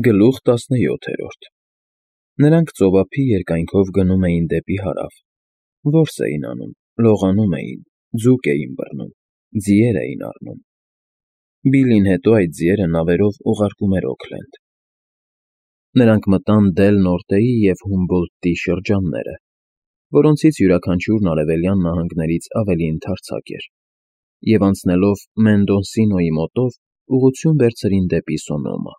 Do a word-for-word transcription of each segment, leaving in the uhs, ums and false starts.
Գլուխ տասնյոթերորդ Նրանք ծովափի երկայնքով գնում էին դեպի հարավ, որս էին անում, լողանում էին, ձուկ էին բռնում, ձիեր էին առնում. Բիլլին հետո այդ ձիերը նավերով ուղարկում էր Օքլենդ. Նրանք մտան Դել Նորտեի և Հումբոլդտի շրջանները, որոնցից յուրաքանչյուրն արևելյան նահանգներից ավելի ընդարձակ էր, և անցնելով Մենդոնսինոյի մոտով ուղղություն վերցրին դեպի Սոնոմա.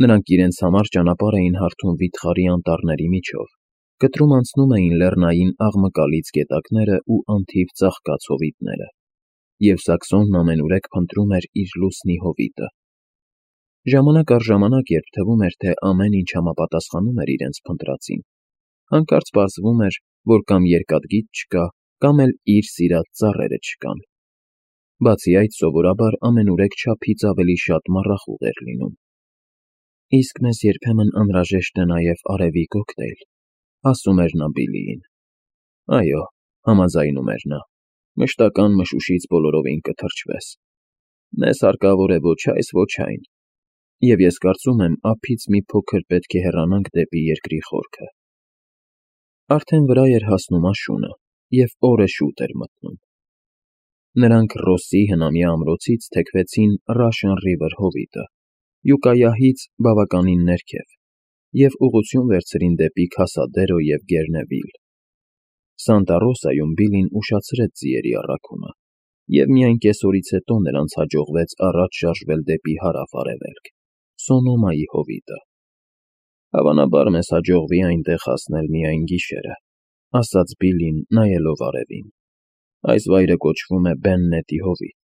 Նրանք իրենց համար ճանապարհ էին հարթում վիթխարի անտառների միջով, կտրում անցնում էին լեռնային աղմկալից գետակներն ու անթիվ ծաղկած հովիտները, և Սաքսոնն ամենուրեք փնտրում էր իր լուսնի հովիտը. ժամանակ առ ժամանակ, երբ թվում էր, թե ամեն ինչ համապատասխանում էր իրենց փնտրածին, հանկարծ պարզվում էր, որ կամ երկաթգիծ չկա, կամ էլ իր սիրած ծառերը չկան. բացի այդ, սովորաբար ամենուրեք չափից ավելի շատ մառախուղ էր լինում։ Իսկ մեզ երբեմն անհրաժեշտ է նաև արևի կոկտեյլ, ասում էր նա Բիլլիին։ Այո, համաձայնում էր նա, մշտական մշուշից բոլորովին կթրջվես։ Մեզ հարկավոր է ոչ այս, ոչ այն, և ես կարծում եմ, ափից մի փոքր պետք է հեռանանք դեպի երկրի խորքը։ Արդեն վրա էր հասնում աշունը, և օրը շուտ էր մթնում։ Նրանք Ռոսսի հնամյա ամրոցից թեքվեցին Ռաշն Ռիվեր հովիտը, Յուկայահից բավականին ներքև, և ուղղություն վերցրին դեպի Քասադերո և Գերնևիլ. Սանտա Ռոսայում Բիլլին ուշացրեց ձիերի առաքումը, և միայն կեսօրից հետո նրանց հաջողվեց առաջ շարժվել դեպի հարավ֊արևելք, Սոնոմայի հովիտը։ Հավանաբար մեզ հաջողվի այնտեղ հասնել միայն գիշերը, ասաց Բիլլին, նայելով արևին. այս վայրը կոչվում է Բեննետի հովիտ,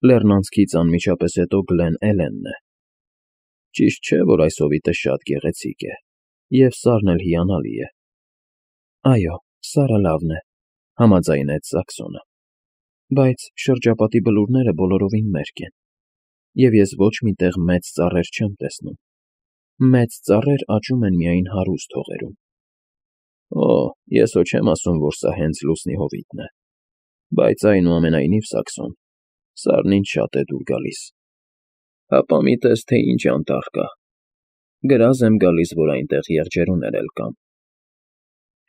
լեռնանցքից անմիջապես հետո Գլեն Էլենն է։ Ճիշտ չէ, որ այս հովիտը շատ գեղեցիկ է, և սարն էլ հիանալի է։ Այո, սարը լավն է, համաձայնեց Սաքսոնը, բայց շրջապատի բլուրները բոլորովին մերկ են, և ես ոչ մի տեղ մեծ ծառեր չեմ տեսնում։ Մեծ ծառեր աճում են միայն հարուստ հողերում։ Օ, ես հո չեմ ասում, որ սա հենց լուսնի հովիտն է, բայց այնուամենայնիվ, Սաքսոն, սարն ինձ շատ է դուր գալիս։ Հապա մի տես, թե ինչ անտառ կա։ Գրազ եմ գալիս, որ այնտեղ եղջերուներ էլ կան։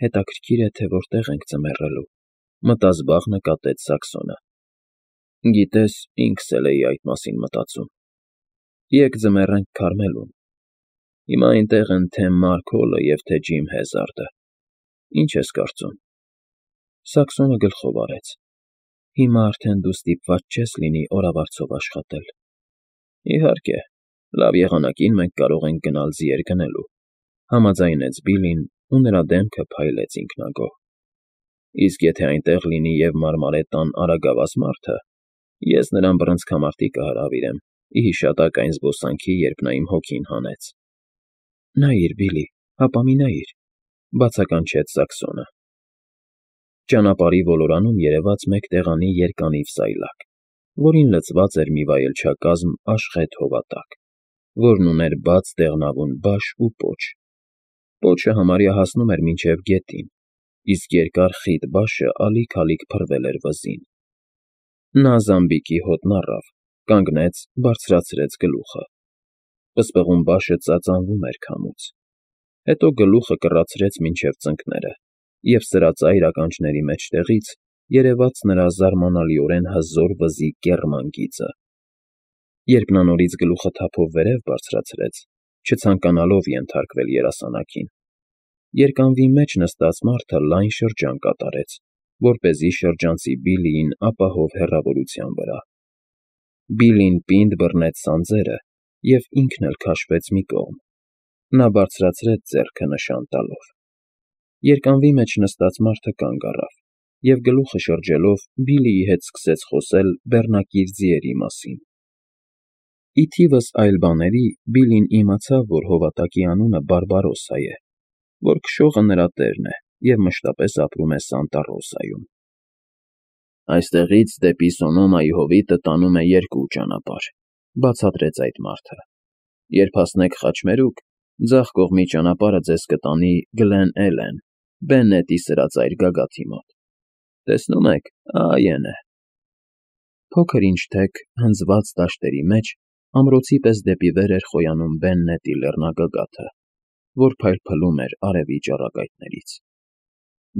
Հետաքրքիր է, թե որտեղ ենք ձմեռելու, մտազբաղ նկատեց Սաքսոնը։ Գիտես, ինքս էլ էի այդ մասին մտածում։ Եկ ձմեռենք Քարմելում։ Հիմա այնտեղ են թե Մարք Հոլը և թե Ջիմ Հեզարդը։ Ինչ ես կարծում։ Սաքսոնը գլխով արեց։ Հիմա արդեն դու ստիպված չես լինի օրավարձով աշխատել։ Իհարկե, լավ եղանակին մենք կարող ենք գնալ ձիեր գնելու, համաձայնեց Բիլլին, ու նրա դեմքը փայլեց ինքնագոհ։ Իսկ եթե այնտեղ լինի և Մարմարետան արագավազ մարդը, ես նրան բռնցքամարտի կհրավիրեմ, ի հիշատակ այն զբոսանքի, երբ նա իմ հոգին հանեց։ Նայիր, Բիլլի, հապա մի նայիր, բացականչեց Սաքսոնը։ Ճանապարհի ոլորանում երևաց մեկ տեղանի երկանիվ սայլակ, որին լցված էր մի վայելչակազմ աշխեհ հովատակ, որն ուներ բաց դեղնավուն բաշ ու պոչ։ Պոչը համարյա հասնում էր մինչև գետին, իսկ երկար խիտ բաշը ալիք֊ալիք փռվել էր վզին։ Նա զամբիկի հոտն առավ, կանգնեց, բարձրացրեց գլուխը։ Պսպղուն բաշը ծածանվում էր քամուց։ Հետո գլուխը կռացրեց մինչև ծնկները, և սրածայր ականջների մեջտեղից երևաց նրա զարմանալիորեն հզոր վզի կեռման գիծը։ Երբ նա նորից գլուխը թափով վերև բարձրացրեց, չցանկանալով ենթարկվել երասանակին, երկանվի մեջ նստած մարդը լայն շրջան կատարեց, որպեսզի շրջանցի Բիլլիին ապահով հեռավորության վրա։ Բիլլին պինդ բռնեց սանձերը և ինքն էլ քաշվեց մի կողմ։ Նա բարձրացրեց ձեռքը նշան տալով։ Երկանվի մեջ նստած մարդը կանգ առավ և գլուխը շրջելով Բիլլիի հետ սկսեց խոսել բեռնակիր ձիերի մասին։ Ի թիվս այլ բաների Բիլլին իմացավ, որ հովատակի անունը Բարբարոսա է, որ քշողը նրա տերն է և մշտապես ապրում է Սանտա Ռոսայում։ Այստեղից դեպի Սոնոմայի հովիտը տանում է երկու ճանապարհ, բացատրեց այդ մարդը։ Երբ հասնեք Խաչմերուկ, ձախ կողմի ճանապարհը ձեզ կտանի Գլեն Էլեն, Բեննետի սրածայր գագաթի մոտ։ Տեսնում եք, այն է։ Փոքր ինչ թեք, հնձված դաշտերի մեջ Ամրոցի պես դեպի վեր էր խոյանում Բեննետի լեռնագագաթը, որ փայլփլում էր արևի ճառագայթներից։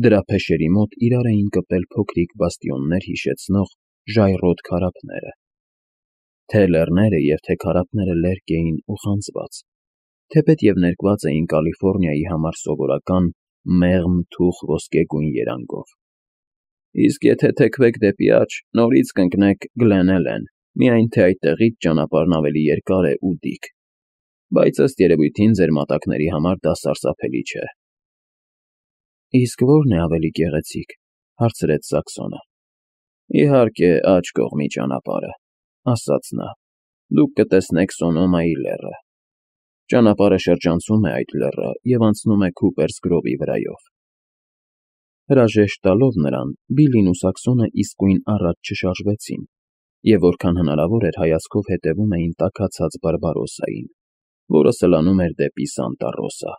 Դրա փեշերի մոտ իրար էին կպել փոքրիկ բաստիոններ հիշեցնող ժայռոտ քարափները։ Թե լեռները և թե քարափները լերկ էին ու խանձված, թեպետև ներկված էին Կալիֆոռնիայի համար սովորական մեղմ թուխ ոսկեգույն երանգով։ Իսկ եթե թեքվեք դեպի աջ, նորից կընկնեք Գլեն Էլեն, միայն թե այդտեղից ճանապարհն ավելի երկար է ու դիք, բայց ըստ երևույթին ձեր մատակների համար դա սարսափելի չէ։ Իսկ ո՞րն է ավելի գեղեցիկ,֊ հարցրեց Սաքսոնը։ Իհարկե, աջ կողմի ճանապարհը,֊ ասաց նա։ Դուք կտեսնեք Սոնոմայի լեռը։ Ճանապարհը շրջանցում է այդ լեռը և անցնում է Քուպերս գրովի վրայով։ Հրաժեշտ տալով նրան, Բիլլին ու Սաքսոնը իսկույն առաջ չշարժվեցին և որքան հնարավոր էր հայացքով հետևում էին տաքացած Բարբարոսային, որը սլանում էր դեպի Սանտա Ռոսա։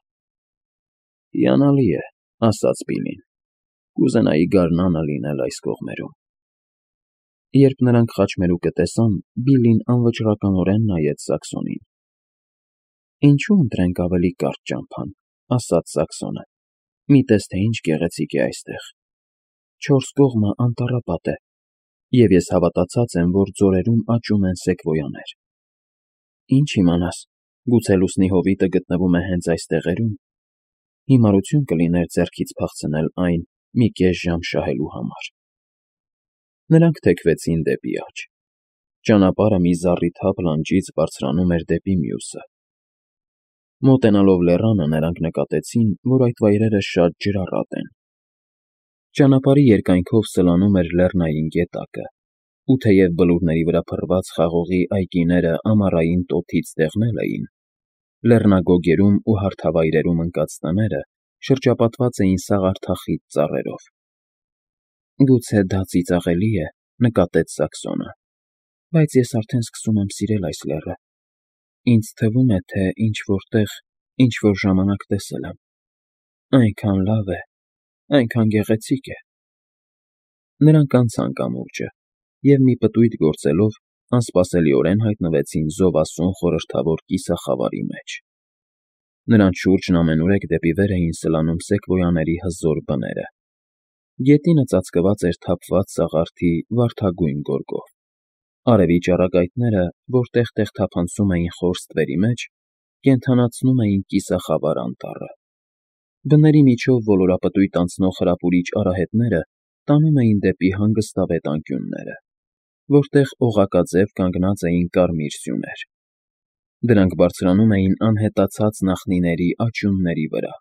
Հիանալի է,֊ ասաց Բիլլին։ Կուզենայի գարնանը լինել այս կողմերում։ Երբ նրանք խաչմերուկը տեսան, Բիլլին անվճռականորեն նայեց Սաքսոնին։ Ինչու՞ ընտրենք ավելի կարճ ճամփան,֊ ասաց Սաքսոնը։ Մի տես, թե ինչ գեղեցիկ է այստեղ։ Չորս կողմը անտառապատ է, և ես հավատացած եմ, որ ձորերում աճում են սեկվոյաներ։ Ինչ իմանաս, գուցե լուսնի հովիտը գտնվում է հենց այս տեղերում։ Հիմարություն կլիներ ձեռքից փախցնել այն մի կես ժամ շահելու համար։ Նրանք թեքվեցին դեպի աջ։ Ճանապարհը մի զառիթափ լանջից բարձրանում էր դեպի մյուսը։ Մոտենալով լեռանը, նրանք նկատեցին, որ այդ վայրերը շատ ջրառատ են։ Ճանապարհի երկայնքով սլանում էր լեռնային գետակը, ու թեև բլուրների վրա փռված խաղողի այգիները ամառային տոթից դեղնել էին, լեռնագոգերում ու հարթավայրերում ընկած տները շրջապատված էին սաղարթախիտ ծառերով։ Գուցե դա ծիծաղելի է,֊ նկատեց Սաքսոնը, բայց ես արդեն սկսում եմ սիրել այս լեռը։ Ինձ թվում է, թե ինչ֊որ տեղ, ինչ֊որ ժամանակ տեսել եմ։ Այնքան լավ է, այնքան գեղեցիկ է։ Նրանք անցան կամուրջը և, մի պտույտ գործելով, անսպասելիորեն հայտնվեցին զովասուն խորհրդավոր կիսախավարի մեջ։ Նրանց շուրջն ամենուրեք դեպի վեր էին սլանում սեկվոյաների հզոր բները։ Գետինը ծածկված էր թափված սաղարթի վարդագույն գորգով։ Արևի ճառագայթները, որ տեղ֊տեղ թափանցում էին խոր ստվերի մեջ, կենդանացնում էին կիսախավար անտառը։ Բների միջով ոլորապտույտ անցնող հրապուրիչ արահետները տանում էին դեպի հանգստավետ անկյունները, որտեղ օղակաձև կանգնած էին կարմիր սյուներ։ Դրանք բարձրանում էին անհետացած նախնիների աճյունների վրա։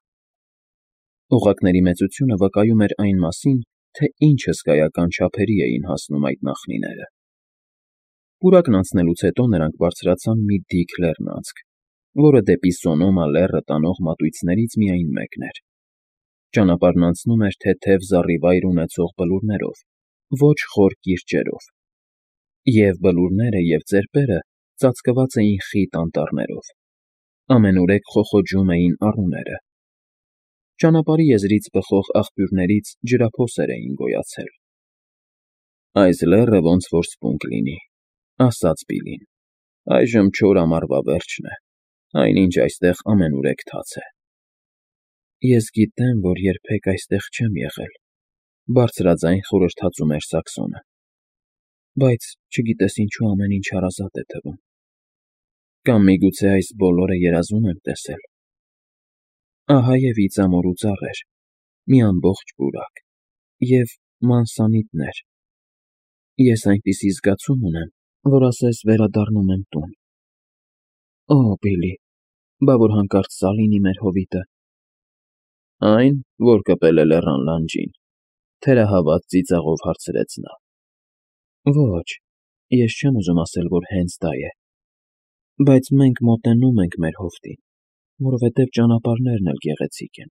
Օղակների մեծությունը վկայում էր այն մասին, թե ինչ հսկայական չափերի էին հասնում այդ նախնիները։ Պուրակն անցնելուց հետո նրանք բարձրացան մի դիք լեռնանցք, որը դեպի Սոնոմա լեռը տանող մատույցներից միայն մեկն էր։ Ճանապարհն անցնում էր թեթև զառիվայր ունեցող բլուրներով, ոչ խոր կիրճերով, և բլուրները և ծեպերը ծածկված էին խիտ անտառներով։ Ամենուրեք խոխոջում էին առուները։ Ճանապարհի եզրից բխող աղբյուրներից ջրափոսեր էին գոյացել։ Այս լեռը ոնց որ սպունգ լինի,֊ ասաց Բիլլին։ Այժմ չոր ամառվա վերջն է, այնինչ այստեղ ամենուրեք թաց է։ Ես գիտեմ, որ երբեք այստեղ չեմ եղել,֊ բարձրաձայն խորհրդածում էր Սաքսոնը, բայց չգիտես ինչու ամեն ինչ հարազատ է թվում։ Կամ միգուցե այս բոլորը երազում եմ տեսել։ Ահա և իծամոր ու ծառեր, մի ամբողջ պուրակ և մանսանիտներ։ Ես այնպիսի զգացում ունեմ, որ ասես վերադառնում եմ տուն։ Օ, Բիլլի, բա որ հանկարծ սա լինի մեր հովիտը։ Ա՞յն, որ կպել է լեռան լանջին,֊ թերահավատ ծիծաղով հարցրեց նա։ Ոչ, ես չեմ ուզում ասել, որ հենց դա է։ Բայց մենք մոտենում ենք մեր հովտին, որովհետև ճանապարհներն էլ գեղեցիկ են։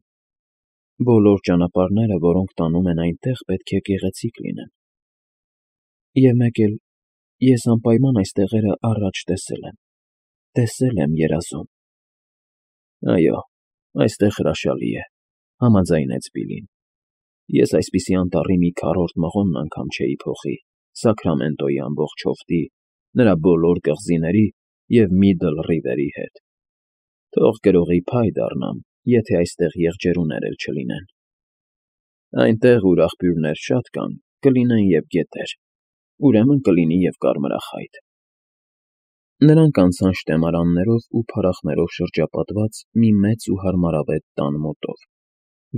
Բոլոր ճանապարհները, որոնք տանում են այնտեղ, պետք է գեղեցիկ լինեն։ Եվ մեկ էլ ես անպայման այս տեղերը առաջ տեսել եմ, տեսել եմ երազում։ Այո, այստեղ հրաշալի է,֊ համաձայնեց Բիլլին։ Ես այսպիսի անտառի մի քառորդ մղոնն անգամ չէի փոխի Սաքրամենտոյի ամբողջ հովտի, նրա բոլոր կղզիների և Միդլ Ռիվերի հետ։ Թող գրողի փայ դառնամ, եթե այստեղ եղջերուներ էլ չլինեն։ Այնտեղ, ուր աղբյուրներ շատ կան, կլինեն և գետեր, ուրեմն կլինի և կարմրախայտ։ Նրանք անցան շտեմարաններով ու փարախներով շրջապատված մի մեծ ու հարմարավետ տան մոտով,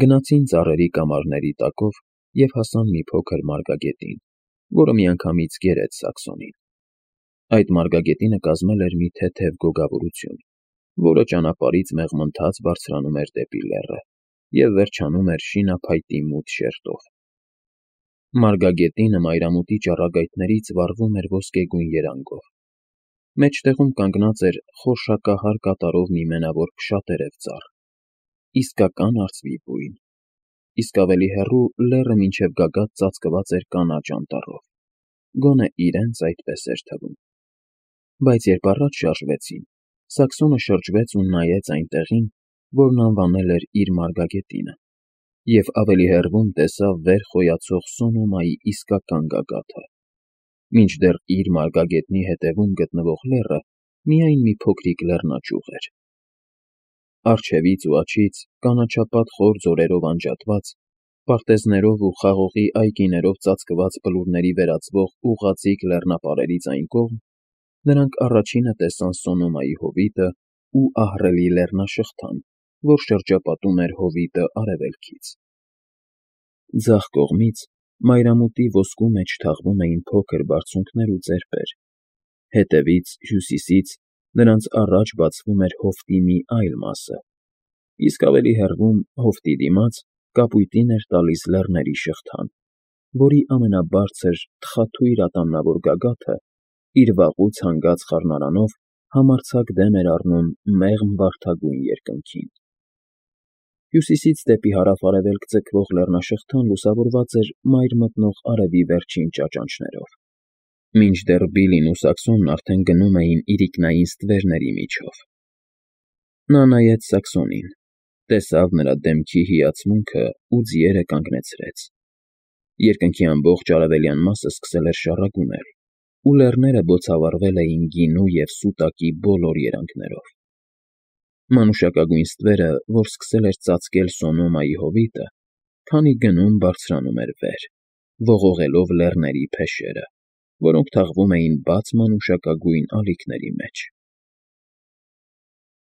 գնացին ծառերի կամարների տակով և հասան մի փոքր մարգագետին, որը միանգամից գերեց Սաքսոնին։ Այդ մարգագետինը կազմել էր մի թեթև գոգավորություն, որը ճանապարհից մեղմընթաց բարձրանում էր դեպի լեռը և վերջանում էր շինափայտի մութ շերտով։ Մարգագետինը մայրամուտի ճառագայթներից վառվում էր ոսկեգույն երանգով։ Մեջտեղում կանգնած էր խորշակահար կատարով մի մենավոր փշատերև ծառ, իսկական արծվի բույն, իսկ ավելի հեռու լեռը մինչև գագաթ ծածկված էր կանաչ անտառով, գոնե իրենց այդպես էր թվում։ Բայց երբ առաջ շարժվեցին, Սաքսոնը շրջվեց ու նայեց այն տեղին, որն անվանել էր իր մարգագետինը, և ավելի հեռվում տեսավ վեր խոյացող Սոնոմայի իսկական գագաթը, մինչդեռ իր մարգագետնի հետևում գտնվող լեռը միայն մի փոքրիկ լեռնաճյուղ էր։ Առջևից ու աջից կանաչապատ խոր ձորերով անջատված, պարտեզներով ու խաղողի այգիներով ծածկված բլուրների վերածվող ուղղաձիգ լեռնապարերից այն կողմ, նրանք առաջինը տեսան Սոնոմայի հովիտն ու ահռելի լեռնաշղթան, որ շրջապատում էր հովիտը արևելքից։ Ձախ կողմից մայրամուտի ոսկու մեջ թաղվում էին փոքր բարձունքներ ու ծեպեր, հետևից, հյուսիսից նրանց առաջ բացվում էր հովտի մի այլ մասը, իսկ ավելի հեռվում, հովտի դիմաց, կապույտին էր տալիս լեռների շղթան, որի ամենաբարձր, թխաթույր ատամնավոր գագաթը իր վաղուց հանգած խառնարանով համարձակ դեմ էր առնում մեղմ վարդագույն երկնքին։ Հյուսիսից դեպի հարավ֊արևելք ձգվող լեռնաշղթան լուսավորված էր մայր մտնող արևի վերջին ճաճանճներով, մինչդեռ Բիլլին ու Սաքսոնն արդեն գնում էին իրիկնային ստվերների միջով։ Նա նայեց Սաքսոնին, տեսավ նրա դեմքի հիացմունքն ու ձիերը կանգնեցրեց։ Երկնքի ամբողջ արևելյան մասը սկսել էր շառագունել, ու լեռները բոցավառվել էին գինու և սուտակի բոլոր երանգներով։ Մանուշակագույն ստվերը, որ սկսել էր ծածկել Սոնոմայի հովիտը, քանի գնում բարձրանում էր վեր, ողողելով լեռների փեշերը, որոնք թաղվում էին բաց մանուշակագույն ալիքների մեջ։